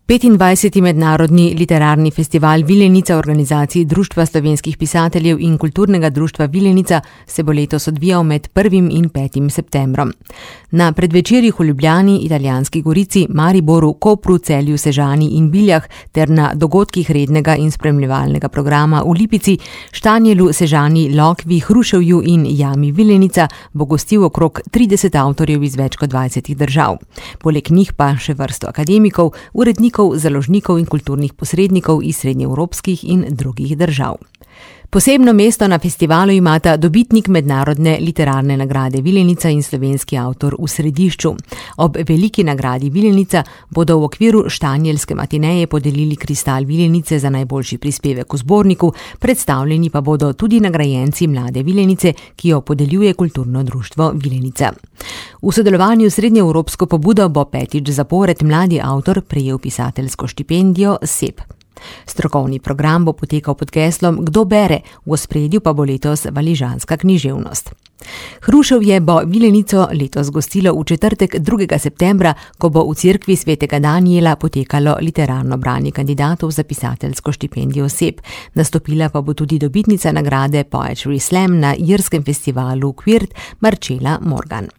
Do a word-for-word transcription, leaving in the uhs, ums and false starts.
petindvajseti mednarodni literarni festival Vilenica v organizaciji Društva slovenskih pisateljev in Kulturnega društva Vilenica se bo letos odvijal med prvim in petim septembrom. Na predvečerjih v Ljubljani, Italijanski Gorici, Mariboru, Kopru, Celju, Sežani in Biljah ter na dogodkih rednega in spremljevalnega programa v Lipici, Štanjelu, Sežani, Lokvi, Hruševju in Jami Vilenica bo gostil okrog trideset avtorjev iz več kot dvajsetih držav. Poleg njih pa še vrsto akademikov, urednikov, založnikov in kulturnih posrednikov iz srednjeevropskih in drugih držav. Posebno mesto na festivalu imata dobitnik mednarodne literarne nagrade Vilenica in slovenski avtor v središču. Ob veliki nagradi Vilenica bodo v okviru štanjelske matineje podelili kristal Vilenice za najboljši prispevek v zborniku, predstavljeni pa bodo tudi nagrajenci Mlade Vilenice, ki jo podeljuje Kulturno društvo Vilenica. V sodelovanju s srednjeevropsko pobudo bo petič zapored mladi avtor prejel pisateljsko štipendijo S E P. Strokovni program bo potekal pod geslom Kdo bere, v ospredju pa bo letos valižanska književnost. Hruševje bo Vilenico letos gostilo v četrtek drugega septembra, ko bo v cerkvi svetega Danijela potekalo literarno branje kandidatov za pisateljsko štipendijo S E P. Nastopila pa bo tudi dobitnica nagrade Poetry Slam na irskem festivalu Kvirt, Marcela Morgan.